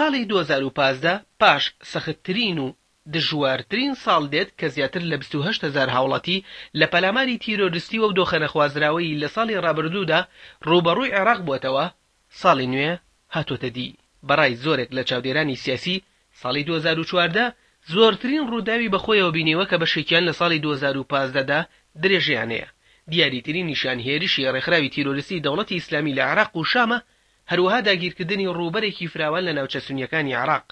ساڵی 2015 پاش سەختترین و دژوارترین ساڵ دێت کە زیاتر لە 28 هەزار هاوڵاتی لە پەلاماری تیرۆریستی و ئەو دۆخە نەخوازراوەی لە ساڵی ڕابردوودا ڕووبەڕووی عێراق بووەتەوە، ساڵی نوێ هاتۆتە دی. بەڕای زۆرێک لە چاودێرانی سیاسی، ساڵی 2014 زۆرترین ڕووداوی بەخۆیەوە بینیوە کە بەشێکیان لە ساڵی 2015 دا درێژەیان هەیە، دیاریترینیشیان هێرشی ڕێکخراوی تیرۆریستی دەوڵەتی ئیسلامی لە عێراق و شامە، هەروەها داگیرکردنی ڕووبەرێکی فراوان لە ناوچە سونییەکانی عێراق،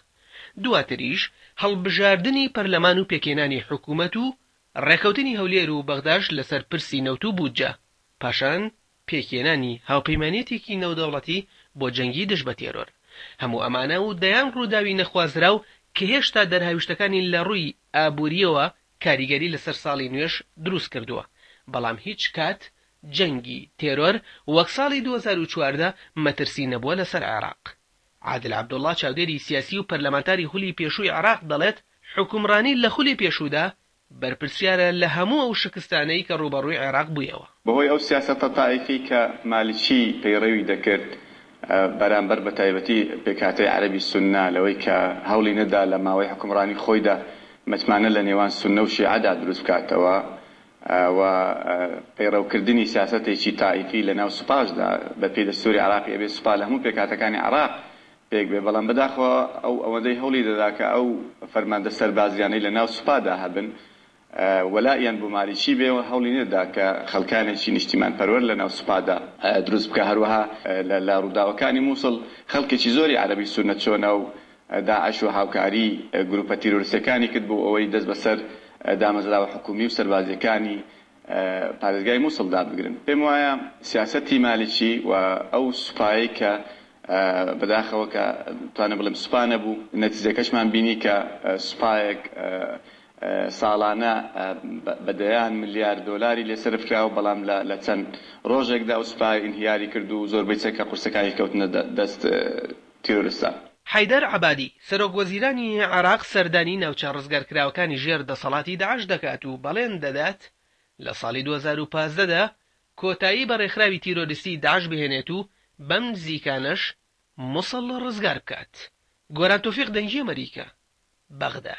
دواتریش هەڵبژاردنی پەرلەمان و پێکهێنانی حکومەت و ڕێککەوتنی هەولێر و بەغداش لەسەر پرسی نەوت و بودجە، پاشان پێکهێنانی هاوپەیمانیەتێکی نێودەوڵەتی بۆ جەنگی دژ بە تێرۆر. هەموو ئەمانە و دەیان ڕووداوی نەخوازراو کە هێشتا دەرهاویشتەکانی لە ڕووی ئابوورییەوە کاریگەری لەسەر ساڵی نوێش دروست کردووە، بەڵام هیچ کات جەنگی تێرۆر وەک ساڵی 2014 مەترسی نەبووە لەسەر عێراق. عادل عەبدوڵڵا چاودێری سیاسی و پەرلەمانتاری خولی پێشووی عێراق دەڵێت، حوکمڕانی لە خولی پێشوودا بەرپرسیارە لە هەموو ئەو شکستانەی کە ڕووبەڕووی عێراق بوویەوە. بەهۆی ئەو سیاسەتە تائیفی کە مالکی پەیڕەوی دەکرد بەرامبەر بە تایبەتی پێکهاتەی عەرەبی سوننە، لەوەی کە هەوڵی نەدا لە ماوەی حوکمڕانی خۆیدا متمانە لە نێوان سوننە و شیعەدا دروست بکاتەوە و پەیڕەوکردنی سیاسەتێکی تائیفی لە ناو سوپاشدا، بەپێی دەستووری عێراقی ئەبێ سوپا لە هەموو پێکهاتەکانی عێراق پێک بێ، بەڵام بەداخەوە ئەو ئەوەندەی هەوڵی دەدا کە ئەو فەرماندە سەربازیانەی لە ناو سوپادا هەبن وەلائیان بۆ مالیکی بێ و هەوڵی نەدا کە خەڵکانێکی نیشتیمانپەروەر لە ناو سوپادا دروست بکا. هەروەها لە ڕووداوەکانی مووسڵ خەڵکێکی زۆری عەرەبی سوننە چۆ ناو داعش و هاوکاری گرووپە تیرۆریستیەکانی کرد بۆ ئەوەی دەست بەسەر دامەزراوە حکوومی و سەربازیەکانی پارێزگای موسڵدا بگرن. پێم وایە سیاسەتی مالکی و ئەو سوپایەی کە بەداخەوە کە توانم بڵێم سوپا نەبوو، نەتیجەکەشمان بینی کە سوپایەک ساڵانە بە دەیان ملیار دۆلاری لێ سەرف کرا و بەڵام لە چەند ڕۆژێکدا ئەو سوپایە ئینهیاری کرد و زۆربەی چەکە قورسەکانی کەوتنە دەست تیرۆرستان. حەیدەر عەبادی، سەرۆک وەزیرانی عێراق سەردانی ناوچە ڕزگارکراوەکانی ژێر دەسەڵاتی داعش دەکات و بەڵێن دەدات لە ساڵی 2015 دا کۆتایی بە ڕێکخراوی تیرۆریستی داعش بهێنێت و بەم نزیکانەش موسڵ ڕزگار بکات. گۆران تۆفیق دەنگی ئەمەریکا، بەغدا.